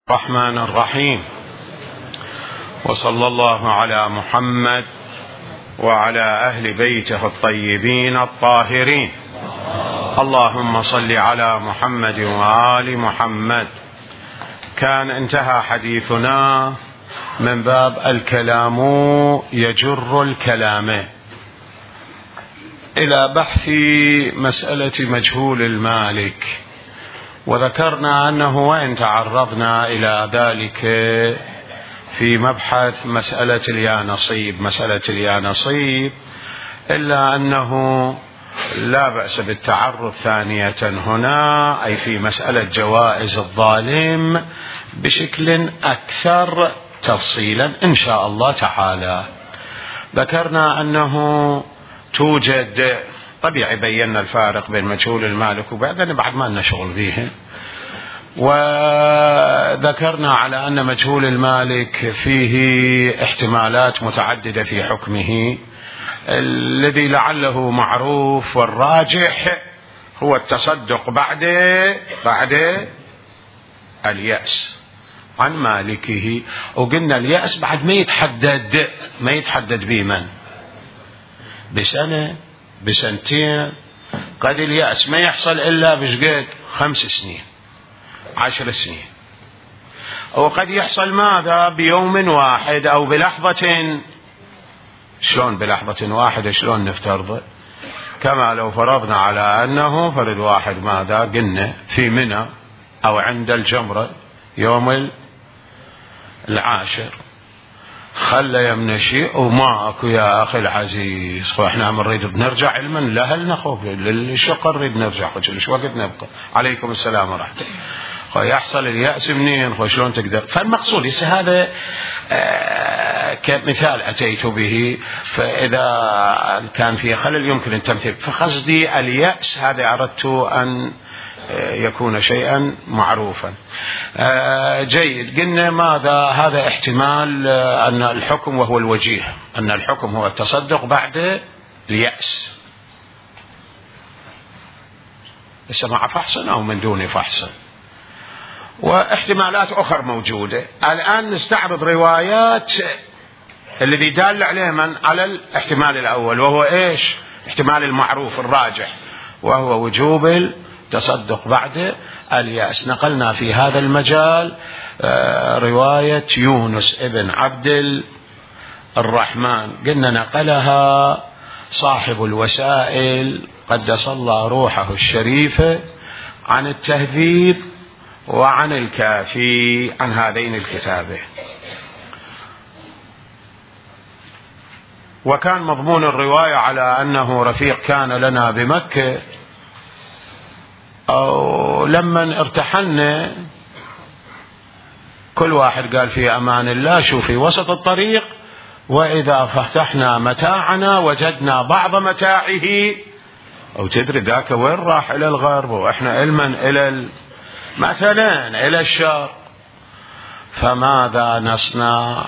الرحمن الرحيم، وصلى الله على محمد وعلى أهل بيته الطيبين الطاهرين. اللهم صل على محمد وآل محمد. كان انتهى حديثنا من باب الكلام يجر الكلام إلى بحث مسألة مجهول المالك، وذكرنا أنه وإن تعرضنا إلى ذلك في مبحث مسألة اليانصيب إلا أنه لا بأس بالتعرض ثانية هنا، أي في مسألة جوائز الظالم بشكل أكثر تفصيلا إن شاء الله تعالى. ذكرنا أنه توجد، طبيعي بينا الفارق بين مجهول المالك وبعدين بعد ما نشغل به، وذكرنا على أن مجهول المالك فيه احتمالات متعددة في حكمه. الذي لعله معروف والراجح هو التصدق بعد اليأس عن مالكه. وقلنا اليأس بعد ما يتحدد بمن، بسنة بسنتين، قد اليأس ما يحصل إلا بشقد 5 سنين 10 سنين، وقد يحصل ماذا بيوم واحد أو بلحظة. شلون بلحظة واحدة؟ شلون نفترض؟ كما لو فرضنا على أنه فرد واحد ماذا قلنا في منى أو عند الجمرة يوم 10 خلى يمنى شيء وما اكو يا اخي العزيز، واحنا نريد بنرجع علما لهل نخوف للشقة نريد نرجع شو وقت نبقى. عليكم السلام ورحمة الله. يحصل اليأس منين؟ شلون تقدر؟ فالمقصود هذا كمثال أتيت به، فإذا كان في خلل يمكن التمثيل. فقصدي اليأس هذا أردت أن يكون شيئا معروفا. جيد. قلنا ماذا؟ هذا احتمال أن الحكم، وهو الوجيه، أن الحكم هو التصدق بعد اليأس، ليس مع فحص أو من دون فحص، واحتمالات أخرى موجودة. الآن نستعرض روايات الذي دال عليه من على الاحتمال الأول، وهو إيش؟ احتمال المعروف الراجح، وهو وجوب التصدق بعد اليأس. نقلنا في هذا المجال رواية يونس ابن عبد الرحمن، قلنا نقلها صاحب الوسائل قدس الله روحه الشريفة عن التهذيب وعن الكافي، عن هذين الكتابين. وكان مضمون الرواية على أنه رفيق كان لنا بمكة، أو لما ارتحلنا كل واحد قال في أمان الله شو في وسط الطريق، وإذا فتحنا متاعنا وجدنا بعض متاعه، أو تدري ذاك وين راح؟ إلى الغرب، وإحنا إلى مثلا إلى الشرق، فماذا نصنع؟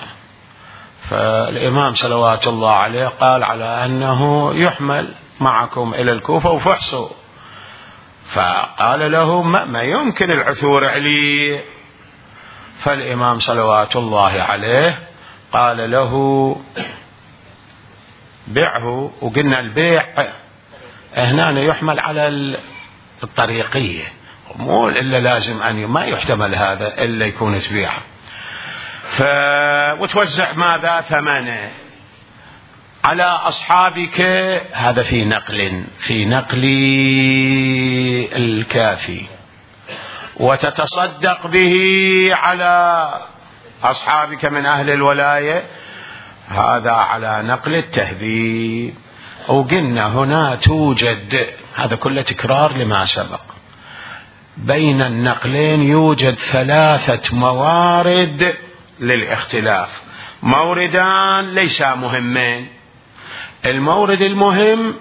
فالإمام صلوات الله عليه قال على أنه يحمل معكم إلى الكوفة وفحصوا. فقال له ما يمكن العثور عليه. فالإمام صلوات الله عليه قال له بيعه. وقلنا البيع هنا يحمل على الطريقية، مو إلا لازم أن ما يحتمل هذا إلا يكون تبيعه. وتوزع ماذا؟ ثمنه على أصحابك. هذا في نقل الكافي. وتتصدق به على أصحابك من أهل الولاية، هذا على نقل التهذيب. وقلنا هنا توجد، هذا كله تكرار لما سبق، بين النقلين يوجد 3 موارد للاختلاف. موردان ليس مهمين. المورد المهم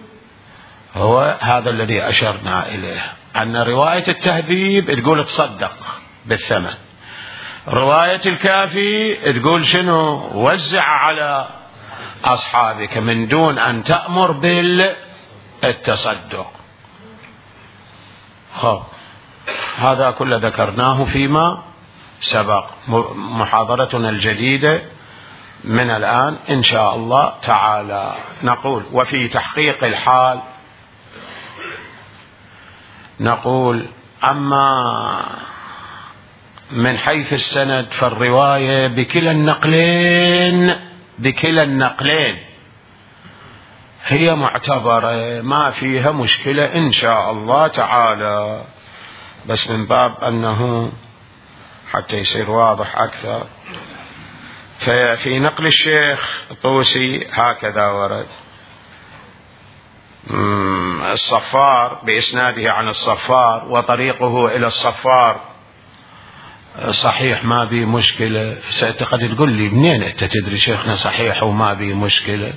هو هذا الذي أشرنا إليه، أن رواية التهذيب تقول تصدق بالثمن، رواية الكافي تقول شنو؟ وزع على أصحابك من دون أن تأمر بالتصدق. هذا كله ذكرناه فيما سبق. محاضرتنا الجديدة من الآن إن شاء الله تعالى. نقول: وفي تحقيق الحال نقول: أما من حيث السند فالرواية بكلا النقلين هي معتبرة، ما فيها مشكلة إن شاء الله تعالى، بس من باب أنه حتى يصير واضح أكثر. ففي نقل الشيخ طوسي هكذا ورد: الصفار بإسناده عن الصفار وطريقه إلى الصفار صحيح ما بي مشكلة. قد تقول لي: منين أنت تدري شيخنا صحيح وما بي مشكلة؟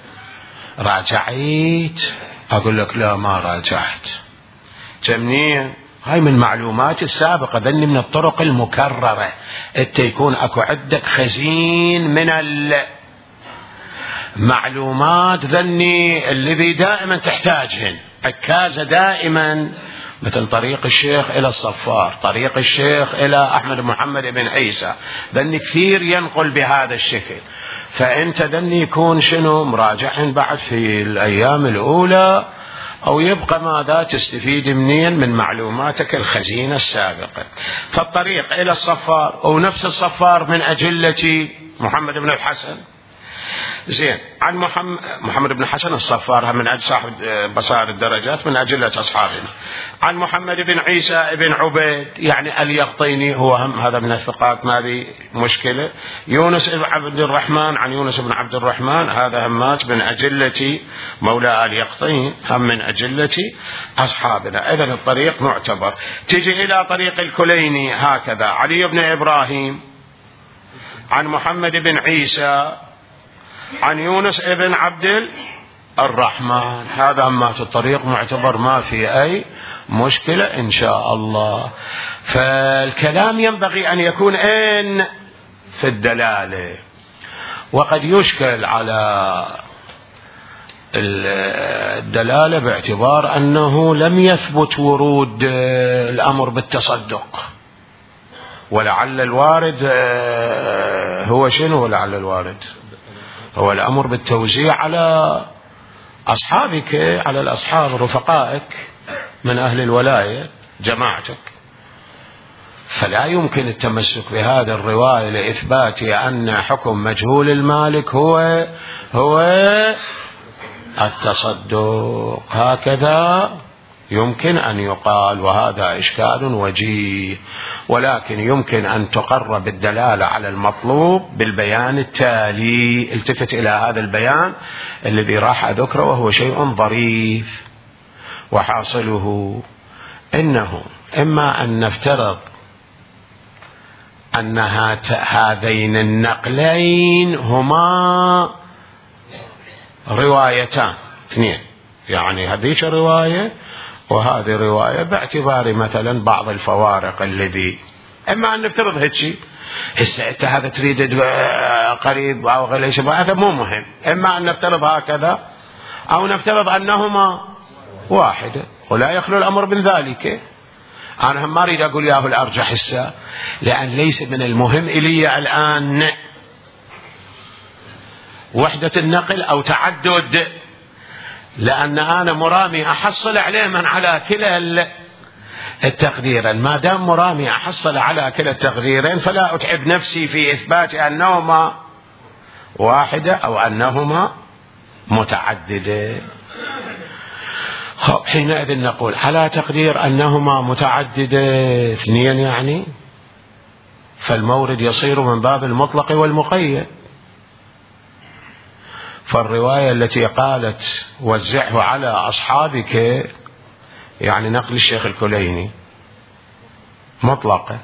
راجعت؟ أقول لك: لا، ما راجعت. منين؟ هاي من معلومات السابقة، ذني من الطرق المكررة. أنت يكون أكو عندك خزين من المعلومات ذني الذي دائما تحتاجهن، عكازة دائما، مثل طريق الشيخ إلى الصفار، طريق الشيخ إلى أحمد محمد بن عيسى، ذني كثير ينقل بهذا الشكل. فأنت ذني يكون شنو مراجعهن بعد في الأيام الأولى، أو يبقى ماذا تستفيد منين من معلوماتك الخزينة السابقة. فالطريق إلى الصفار أو نفس الصفار من أجلة محمد بن الحسن، زين، عن محمد بن حسن الصفار من أجل صاحب بصائر الدرجات من أجلة أصحابنا. عن محمد بن عيسى بن عبيد يعني اليقطيني، هو هم هذا من الثقات ما بي مشكلة. يونس بن عبد الرحمن، عن يونس بن عبد الرحمن، هذا همات من أجلة مولى اليقطين، هم من أجلة أصحابنا. إذن الطريق معتبر. تجي إلى طريق الكليني هكذا: علي بن إبراهيم عن محمد بن عيسى عن يونس ابن عبد الرحمن، هذا همات الطريق معتبر، ما في أي مشكلة إن شاء الله. فالكلام ينبغي أن يكون في الدلالة، وقد يشكل على الدلالة باعتبار أنه لم يثبت ورود الأمر بالتصدق، ولعل الوارد هو شنو؟ ولعل الوارد هو الأمر بالتوزيع على أصحابك، على الأصحاب رفقائك من أهل الولاية جماعتك. فلا يمكن التمسك بهذه الرواية لإثبات أن حكم مجهول المالك هو التصدق، هكذا يمكن أن يقال، وهذا إشكال وجيه. ولكن يمكن أن تقرب الدلالة على المطلوب بالبيان التالي. التفت إلى هذا البيان الذي راح أذكره، وهو شيء ظريف، وحاصله إنه إما أن نفترض أن هذين النقلين هما روايتان اثنين، يعني هذيك رواية وهذه رواية، باعتبار مثلا بعض الفوارق الذي، إما أن نفترض هيك. هسه أنت هذا تريد قريب أو غير، هذا مو مهم. إما أن نفترض هكذا أو نفترض أنهما واحدة، ولا يخلو الأمر من ذلك. أنا هم ما أريد أقول ياهو الأرجح هسه، لأن ليس من المهم إلي الآن وحدة النقل أو تعدد، لأن أنا مرامي أحصل عليه من على كلا التقديرين. ما دام مرامي أحصل على كلا التقديرين فلا أتعب نفسي في إثبات أنهما واحدة أو أنهما متعددة. حينئذ نقول على تقدير أنهما متعددة اثنين، يعني فالمورد يصير من باب المطلق والمقيد. فالرواية التي قالت وزعه على أصحابك، يعني نقل الشيخ الكليني، مطلقة،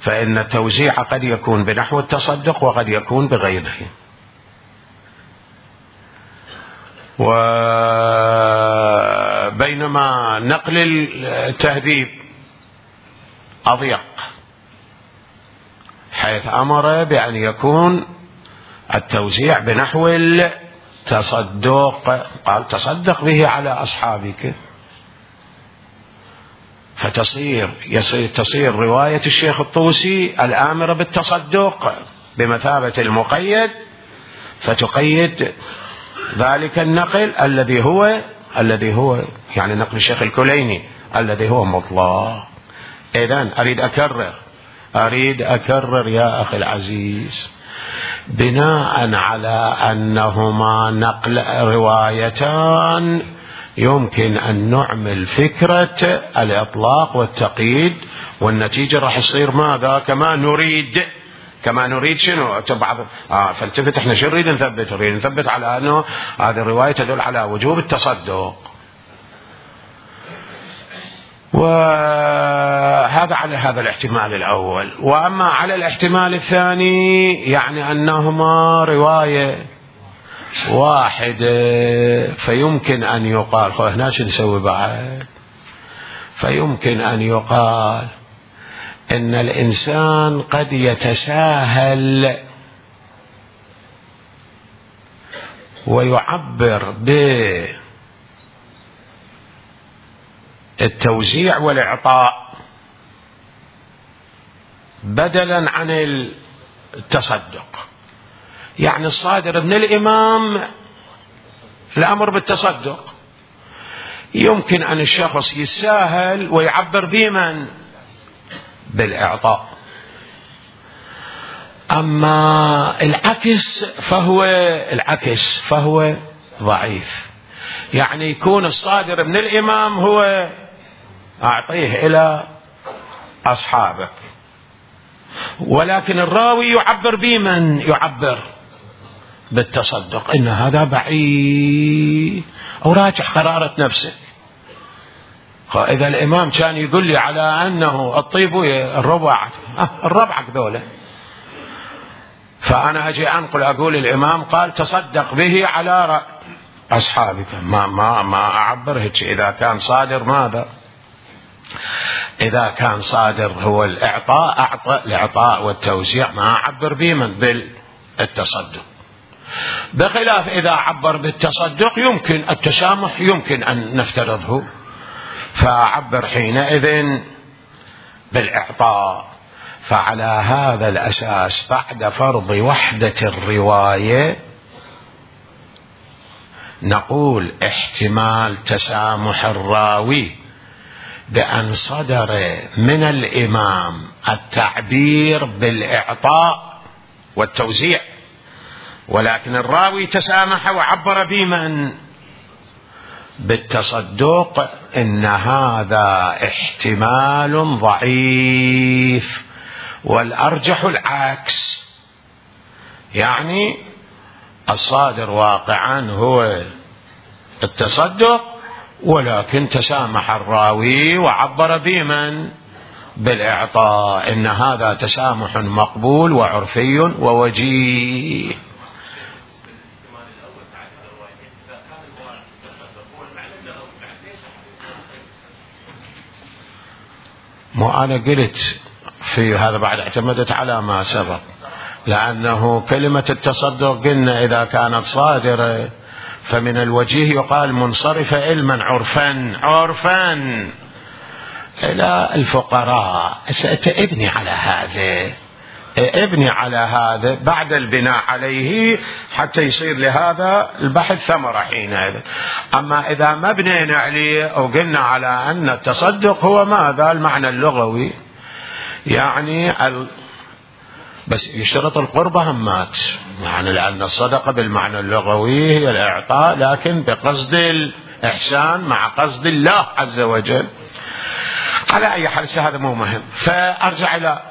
فإن التوزيع قد يكون بنحو التصدق وقد يكون بغيره. وبينما نقل التهذيب أضيق، حيث أمر بأن يكون التوزيع بنحو التصدق، قال تصدق به على أصحابك. تصير رواية الشيخ الطوسي الآمرة بالتصدق بمثابة المقيد، فتقيد ذلك النقل الذي هو يعني نقل الشيخ الكليني الذي هو مطلق. إذن أريد أكرر يا أخي العزيز، بناء على أنهما نقل روايتان يمكن أن نعمل فكرة الإطلاق والتقييد، والنتيجة راح يصير ماذا؟ كما نريد شنو؟ بعض فالتفت احنا شو نريد نثبت؟ نريد نثبت على أنه هذه الرواية تدل على وجوب التصدق، وهذا على هذا الاحتمال الأول. وأما على الاحتمال الثاني يعني أنهما رواية واحدة، فيمكن أن يقال هنا شو نسوي بعد؟ فيمكن أن يقال إن الإنسان قد يتساهل ويعبر بالتوزيع والإعطاء بدلا عن التصدق. يعني الصادر من الإمام الأمر بالتصدق، يمكن أن الشخص يتساهل ويعبر بمن؟ بالإعطاء. أما العكس فهو ضعيف. يعني يكون الصادر من الإمام هو أعطيه إلى أصحابك، ولكن الراوي يعبر بمن؟ يعبر بالتصدق. إن هذا بعيد أو راجع قرارة نفسه. إذا الإمام كان يقول لي على أنه الطيب الربع ذولا، فأنا أجي أنقل أقول الإمام قال تصدق به على أصحابك، ما أعبر هيك. إذا كان صادر ماذا؟ إذا كان صادر هو الإعطاء والتوزيع، ما أعبر بمن؟ بالتصدق. بخلاف إذا عبر بالتصدق يمكن التسامح، يمكن أن نفترضه، فأعبر حينئذ بالإعطاء. فعلى هذا الأساس بعد فرض وحدة الرواية نقول احتمال تسامح الراوي بأن صدر من الإمام التعبير بالإعطاء والتوزيع، ولكن الراوي تسامح وعبر بمن؟ بالتصدق. إن هذا احتمال ضعيف، والأرجح العكس، يعني الصادر واقعا هو التصدق، ولكن تسامح الراوي وعبر بمن؟ بالإعطاء. إن هذا تسامح مقبول وعرفي ووجيه. مو أنا قلت في هذا بعد اعتمدت على ما سبق، لأنه كلمة التصدق قلنا إذا كانت صادرة فمن الوجيه يقال منصرفة علما عرفا إلى الفقراء. سأتبني على هذا بعد البناء عليه حتى يصير لهذا البحث ثمرة حينئذ. أما إذا ما بنينا عليه أو قلنا على أن التصدق هو ماذا؟ المعنى اللغوي، يعني بس يشترط القربة همات، يعني لأن الصدقة بالمعنى اللغوي هي الإعطاء، لكن بقصد الإحسان مع قصد الله عز وجل. على أي حال هذا مو مهم. فأرجع إلى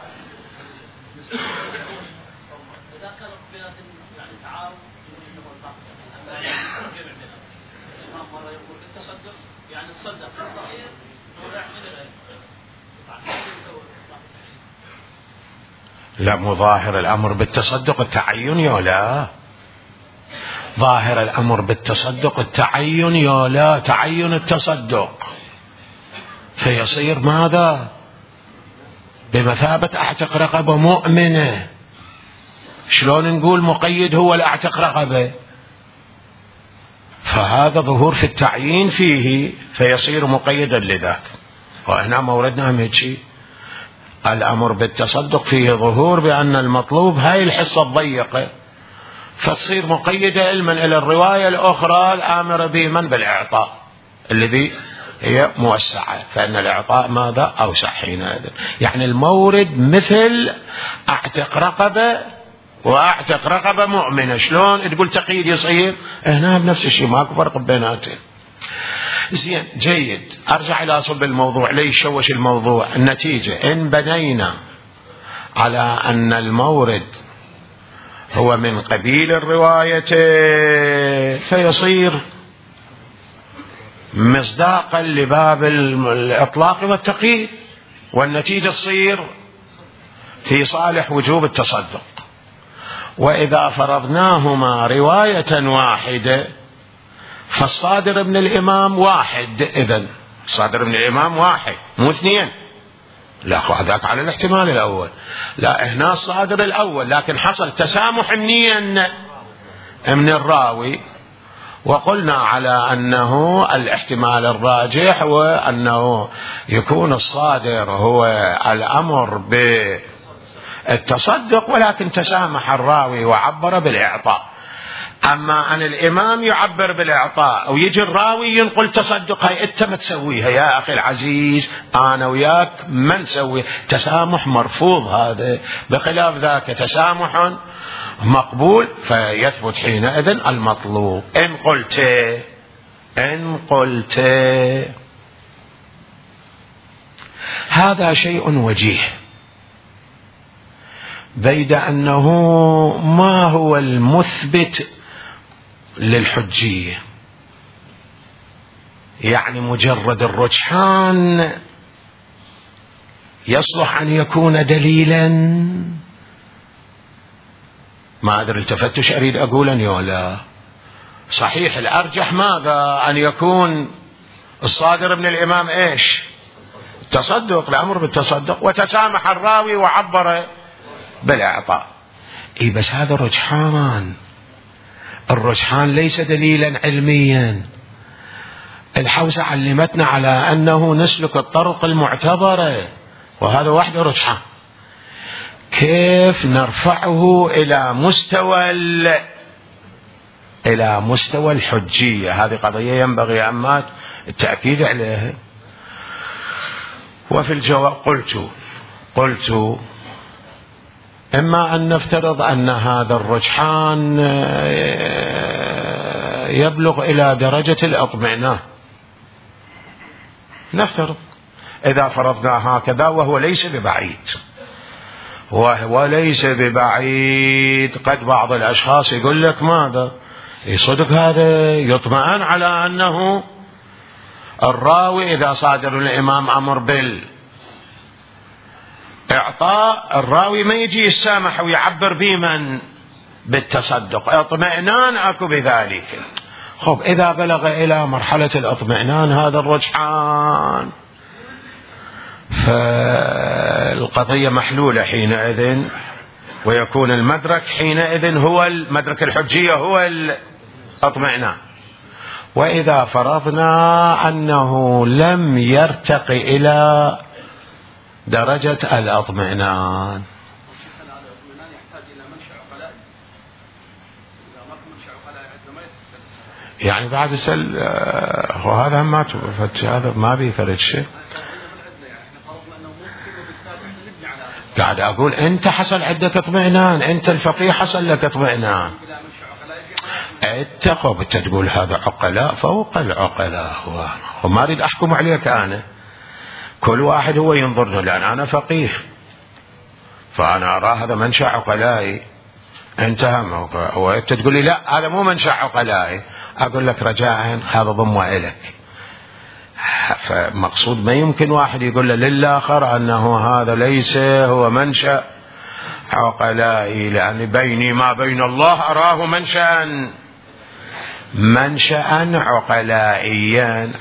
لا، مو ظاهر الأمر بالتصدق التعين يولا، ظاهر الأمر بالتصدق التعين يولا، تعين التصدق، فيصير ماذا؟ بمثابة أعتق رقبة مؤمنة. شلون نقول مقيد هو الأعتق رقبة؟ فهذا ظهور في التعيين فيه، فيصير مقيدا لذاك. وهنا موردنا هيك الأمر بالتصدق فيه ظهور بأن المطلوب هاي الحصة الضيقة، فتصير مقيدة علما إلى الرواية الأخرى الآمرة بمن بالإعطاء الذي هي موسعة، فإن الإعطاء ماذا أوسع حينئذ. يعني المورد مثل أعتق رقبة وأعتق رقبة مؤمنة، شلون تقول تقييد يصير؟ هنا بنفس الشيء، ماكو فرق بيناتهم. زين جيد، أرجع إلى أصل الموضوع ليش شوش الموضوع. النتيجة إن بنينا على أن المورد هو من قبيل الرواية فيصير مصداقا لباب الإطلاق والتقييد، والنتيجة تصير في صالح وجوب التصدق. وإذا فرضناهما رواية واحدة فالصادر من الإمام واحد، إذن الصادر من الإمام واحد مو اثنين، لا هذاك على الاحتمال الأول، لا هنا الصادر الأول، لكن حصل تسامح منين؟ من الراوي. وقلنا على أنه الاحتمال الراجح وأنه يكون الصادر هو الأمر بالتصدق، ولكن تسامح الراوي وعبر بالإعطاء. أما أن الإمام يعبر بالإعطاء ويجي الراوي ينقل تصدق، هاي أنت ما تسويها يا أخي العزيز، أنا وياك ما نسوي. تسامح مرفوض هذا، بخلاف ذاك تسامح مقبول، فيثبت حينئذ المطلوب. إن قلت هذا شيء وجيه، بيد أنه ما هو المثبت للحجية، يعني مجرد الرجحان يصلح أن يكون دليلا. ما أدري التفتش أريد أقول ولا صحيح الأرجح ماذا؟ أن يكون الصادر من الإمام إيش؟ التصدق، الأمر بالتصدق، وتسامح الراوي وعبر بالإعطاء. بس هذا رجحان، الرجحان ليس دليلا علميا. الحوسة علمتنا على أنه نسلك الطرق المعتبرة، وهذا وحده رجحان. كيف نرفعه إلى مستوى الحجية؟ هذه قضية ينبغي أما التأكيد عليها. وفي الجواب قلت إما أن نفترض أن هذا الرجحان يبلغ إلى درجة الإطمئنان، نفترض إذا فرضنا هكذا، وهو ليس ببعيد. قد بعض الأشخاص يقول لك ماذا؟ صدق هذا يطمئن على أنه الراوي إذا صادر الإمام أمر بالإعطاء، الراوي ما يجي يسامح ويعبر بمن بالتصدق، اطمئنان أكو بذلك. خب إذا بلغ إلى مرحلة الاطمئنان هذا الرجحان، فالقضية محلولة حينئذ، ويكون المدرك حينئذ هو المدرك الحجية هو الاطمئنان. وإذا فرضنا أنه لم يرتقي إلى درجة الاطمئنان، يعني بعد السل وهذا ما هذا ما بيفرد شيء. قاعد أقول أنت حصل عندك اطمئنان، أنت الفقيه حصل لك اطمئنان، أنت تقول هذا عقلاء فوق العقلاء، وما أريد أحكم عليك أنا، كل واحد هو ينظرنا، لأن أنا فقيه فأنا أرى هذا منشأ عقلائي، انتهى موقع. وأنت تقول لي لا هذا مو منشأ عقلائي، أقول لك رجاء هذا ضمه إليك. فمقصود ما يمكن واحد يقول للآخر أنه هذا ليس هو منشأ عقلائي، لأن بيني ما بين الله أراه منشأ عقلائيا.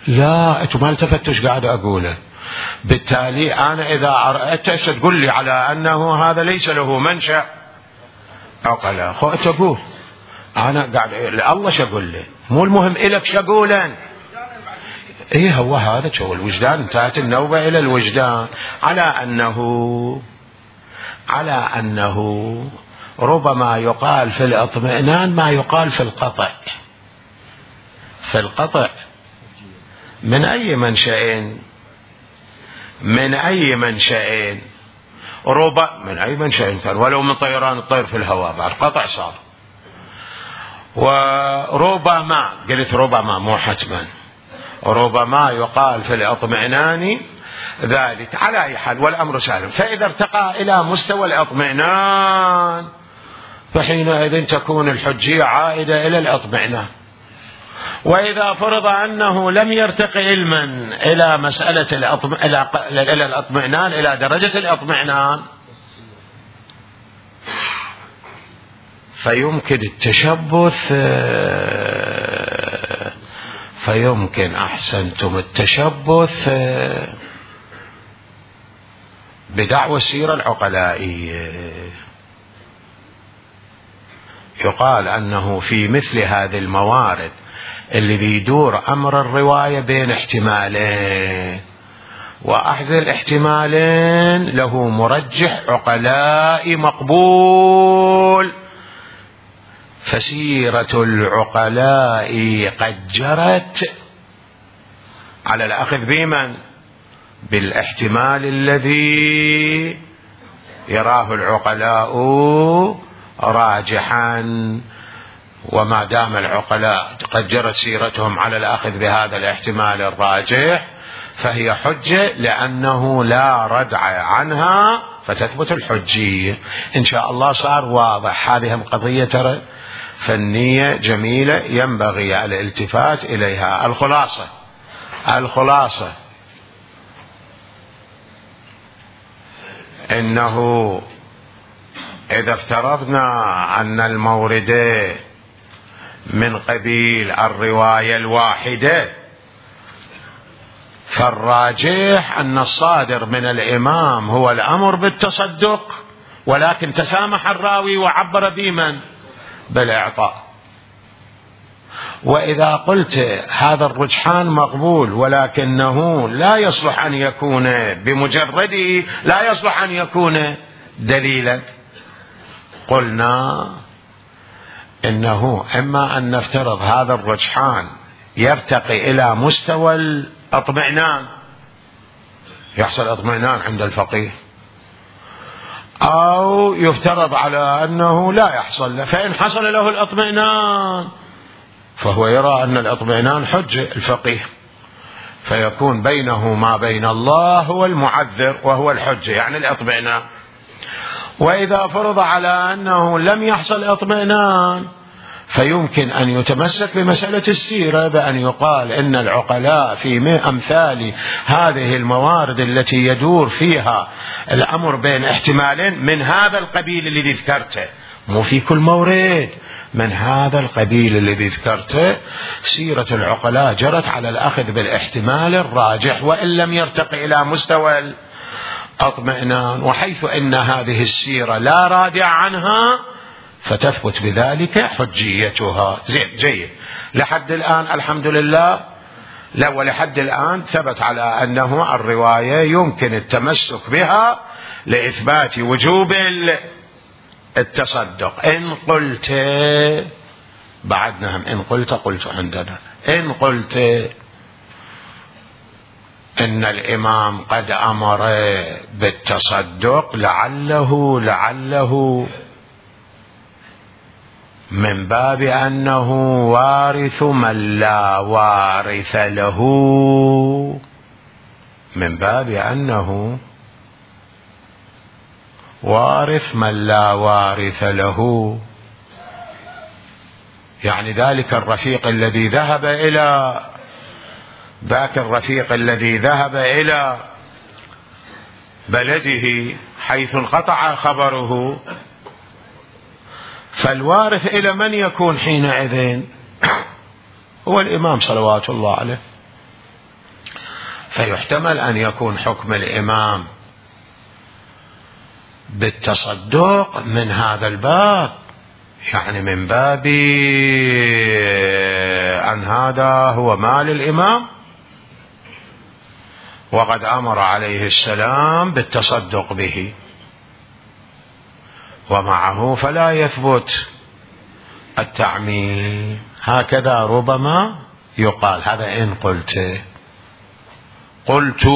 لا أنتم ما التفتش قاعد أقوله. بالتالي أنا إذا أردت تقول لي على أنه هذا ليس له منشأ عقلاء، خو تقول أنا قاعد الله شقول لي، مو المهم إلك شقولا، ايه هو هذا هو الوجدان، انتهت النوبة الى الوجدان، على انه ربما يقال في الاطمئنان ما يقال في القطع. في القطع من اي منشأ من اي منشأ كان، ولو من طيران الطير في الهواء بعد قطع صار. وربما قلت ربما مو حتما، ربما يقال في الاطمئنان ذلك. على اي حال والامر سالم. فاذا ارتقى الى مستوى الاطمئنان فحينئذ تكون الحجية عائدة الى الاطمئنان. واذا فرض انه لم يرتقي علما الى مسألة الى الاطمئنان، الى درجة الاطمئنان، فيمكن التشبث، فيمكن أحسنتم التشبث بدعوى السيرة العقلائية. يقال أنه في مثل هذه الموارد اللي يدور أمر الرواية بين احتمالين، وأحد الاحتمالين له مرجح عقلائي مقبول، فسيرة العقلاء قد جرت على الأخذ بمن؟ بالاحتمال الذي يراه العقلاء راجحا. وما دام العقلاء قد جرت سيرتهم على الأخذ بهذا الاحتمال الراجح فهي حجة، لأنه لا ردع عنها فتثبت الحجية. إن شاء الله صار واضح. هذه قضية ترى فنية جميلة ينبغي الالتفات إليها. الخلاصة إنه إذا افترضنا أن الموردين من قبيل الرواية الواحدة، فالراجح أن الصادر من الإمام هو الأمر بالتصدق، ولكن تسامح الراوي وعبر بمن؟ بالإعطاء. وإذا قلت هذا الرجحان مقبول ولكنه لا يصلح أن يكون بمجرده، لا يصلح أن يكون دليلا، قلنا إنه إما أن نفترض هذا الرجحان يرتقي إلى مستوى الاطمئنان، يحصل اطمئنان عند الفقيه، أو يفترض على أنه لا يحصل له. فإن حصل له الاطمئنان فهو يرى أن الاطمئنان حجة الفقيه، فيكون بينه ما بين الله هو المعذر وهو الحجة، يعني الاطمئنان. وإذا فرض على أنه لم يحصل اطمئنان فيمكن أن يتمسك بمسألة السيرة بأن يقال إن العقلاء في أمثال هذه الموارد التي يدور فيها الأمر بين احتمالين من هذا القبيل الذي ذكرته، مو في كل مورد، من هذا القبيل الذي ذكرته، سيرة العقلاء جرت على الأخذ بالاحتمال الراجح وإن لم يرتقي إلى مستوى الاطمئنان. وحيث إن هذه السيرة لا رادع عنها فتثبت بذلك حجيتها. زين، جيد. لحد الآن الحمد لله، لا ولحد الآن ثبت على أنه الرواية يمكن التمسك بها لإثبات وجوب التصدق. إن قلت بعدنا، إن قلت عندنا، إن قلت إن الإمام قد أمر بالتصدق لعله من باب أنه وارث من لا وارث له، من باب أنه وارث من لا وارث له، يعني ذاك الرفيق الذي ذهب إلى بلده حيث انقطع خبره، فالوارث إلى من يكون حينئذ؟ هو الإمام صلوات الله عليه. فيحتمل أن يكون حكم الإمام بالتصدق من هذا الباب، يعني من باب أن هذا هو مال الإمام وقد أمر عليه السلام بالتصدق به، ومعه فلا يثبت التعميم. هكذا ربما يقال. هذا إن قلت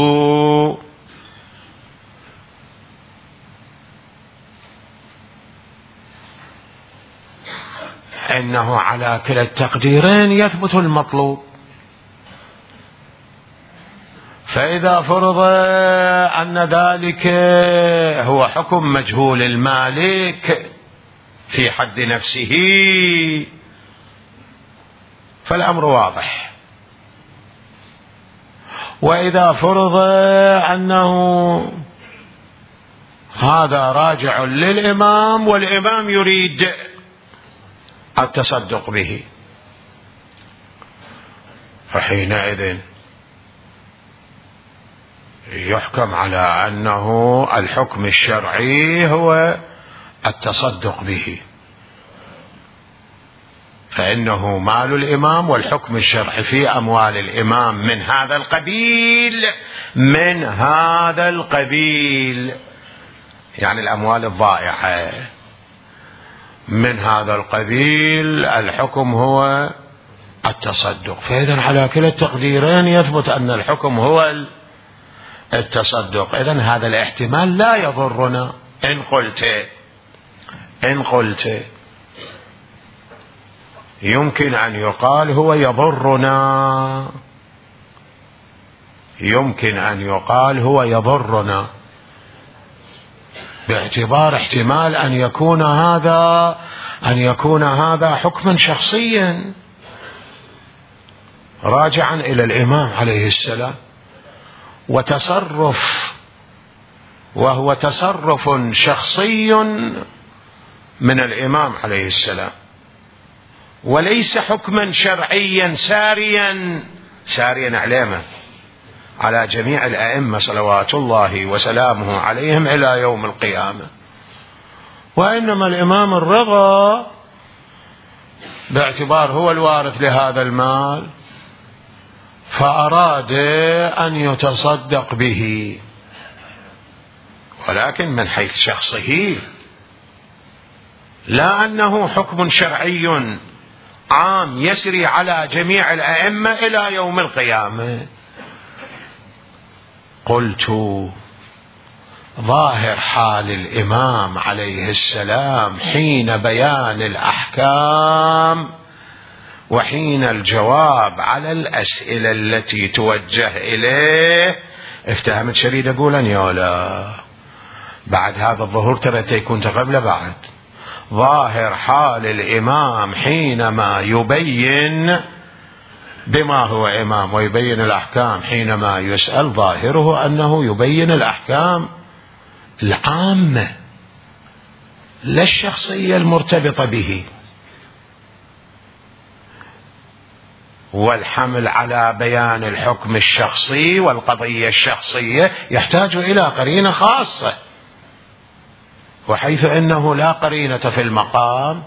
إنه على كلا التقديرين يثبت المطلوب. فإذا فرض أن ذلك هو حكم مجهول المالك في حد نفسه فالأمر واضح، وإذا فرض أنه هذا راجع للإمام والإمام يريد التصدق به، فحينئذ يحكم على أنه الحكم الشرعي هو التصدق به، فإنه مال الإمام والحكم الشرعي في أموال الإمام من هذا القبيل، يعني الأموال الضائعة من هذا القبيل، الحكم هو التصدق. فإذن على كلا التقديرين يثبت أن الحكم هو التصدق. إذن هذا الاحتمال لا يضرنا. إن قلت يمكن أن يقال هو يضرنا، يمكن أن يقال هو يضرنا باعتبار احتمال أن يكون هذا حكما شخصيا راجعا إلى الإمام عليه السلام، وهو تصرف شخصي من الإمام عليه السلام، وليس حكما شرعيا ساريا على جميع الأئمة صلوات الله وسلامه عليهم إلى يوم القيامة. وإنما الإمام الرضا باعتبار هو الوارث لهذا المال فأراد أن يتصدق به، ولكن من حيث شخصه، لا أنه حكم شرعي عام يسري على جميع الأئمة إلى يوم القيامة. قلت ظاهر حال الإمام عليه السلام حين بيان الأحكام وحين الجواب على الأسئلة التي توجه إليه، افتهمت شريد أقولا يولا بعد هذا الظهور ترى تكون قبل بعد. ظاهر حال الإمام حينما يبين بما هو إمام ويبين الأحكام، حينما يسأل ظاهره أنه يبين الأحكام العامة لا الشخصية المرتبطة به، والحمل على بيان الحكم الشخصي والقضية الشخصية يحتاج إلى قرينة خاصة، وحيث أنه لا قرينة في المقام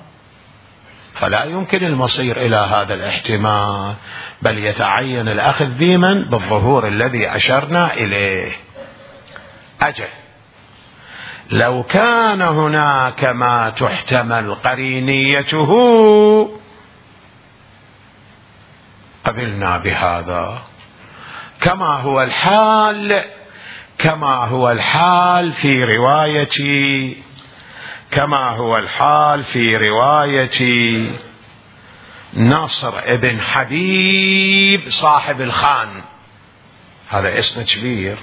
فلا يمكن المصير إلى هذا الاحتمال، بل يتعين الأخذ بمن بالظهور الذي أشرنا إليه. لو كان هناك ما تحتمل قرينيته قبلنا بهذا، كما هو الحال في رواية نصر ابن حبيب صاحب الخان. هذا اسم كبير،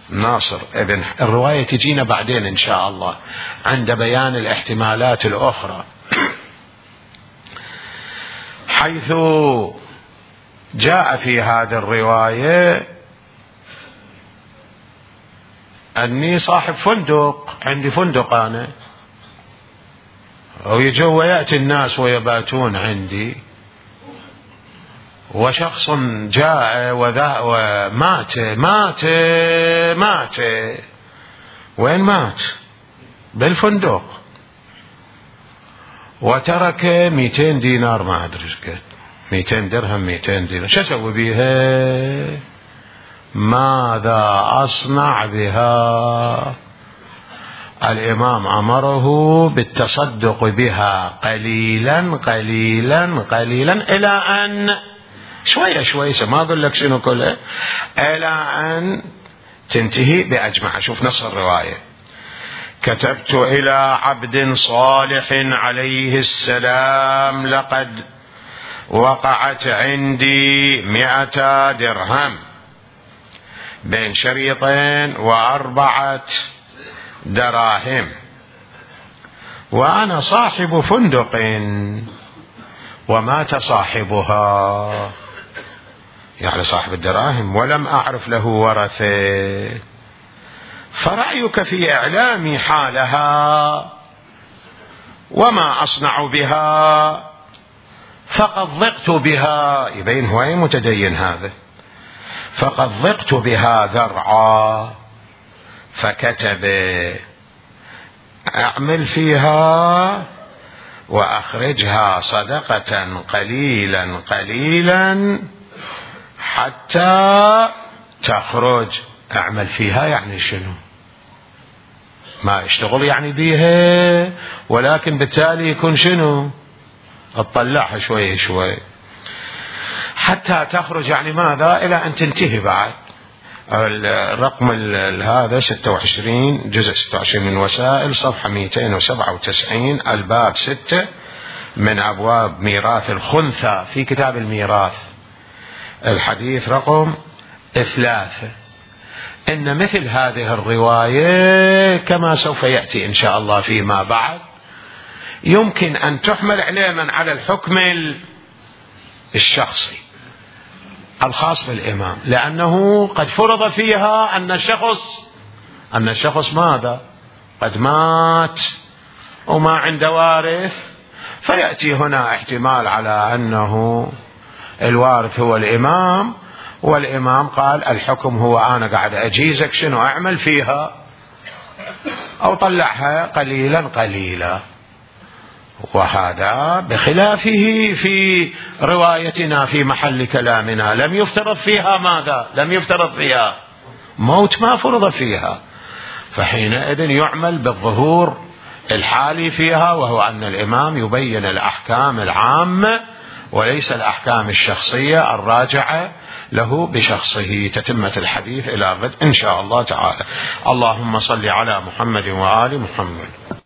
ناصر ابن، الرواية تجينا بعدين إن شاء الله عند بيان الاحتمالات الأخرى، حيث جاء في هذه الرواية أني صاحب فندق، عندي فندق أنا، ويجوا ويأتي الناس ويباتون عندي، وشخص جاء ومات. وين مات؟ بالفندق، وترك 200 دينار، ما أدري ايش قد، 200 درهم 200 دينار، شو أسوي بيها؟ ماذا أصنع بها؟ الإمام أمره بالتصدق بها قليلا قليلا قليلا إلى أن شوية شوية، ما أقول لك شنو كله، إلى أن تنتهي بأجمع. شوف نص الرواية: كتبت إلى عبد صالح عليه السلام: لقد وقعت عندي 100 درهم بين شريطين و4 دراهم، وأنا صاحب فندق ومات صاحبها، يعني صاحب الدراهم، ولم أعرف له ورثة، فرأيك في إعلامي حالها وما أصنع بها، فقد ضقت بها. يبين هو متدين هذا. فقد ضقت بها ذرعا، فكتب: أعمل فيها وأخرجها صدقة قليلا قليلا حتى تخرج. أعمل فيها يعني شنو؟ ما اشتغل يعني بيها، ولكن بالتالي يكون شنو؟ اطلعها شوي شوي حتى تخرج، يعني ماذا؟ إلى أن تنتهي. بعد الرقم هذا 26، جزء 26 من وسائل، صفحة 297، الباب 6 من أبواب ميراث الخنثى في كتاب الميراث، الحديث رقم 3. إن مثل هذه الرواية كما سوف يأتي إن شاء الله فيما بعد يمكن أن تحمل علما على الحكم الشخصي الخاص بالإمام، لأنه قد فرض فيها أن الشخص ماذا؟ قد مات وما عنده وارث، فيأتي هنا احتمال على أنه الوارث هو الإمام، والإمام قال الحكم هو أنا قاعد أجيزك شنو أعمل فيها، أو طلعها قليلا قليلا. وهذا بخلافه في روايتنا في محل كلامنا، لم يفترض فيها ماذا؟ لم يفترض فيها موت، ما فرض فيها، فحينئذ يعمل بالظهور الحالي فيها، وهو أن الإمام يبين الأحكام العامة وليس الأحكام الشخصية الراجعة له بشخصه. تتمة الحديث إلى غد إن شاء الله تعالى. اللهم صل على محمد وآل محمد.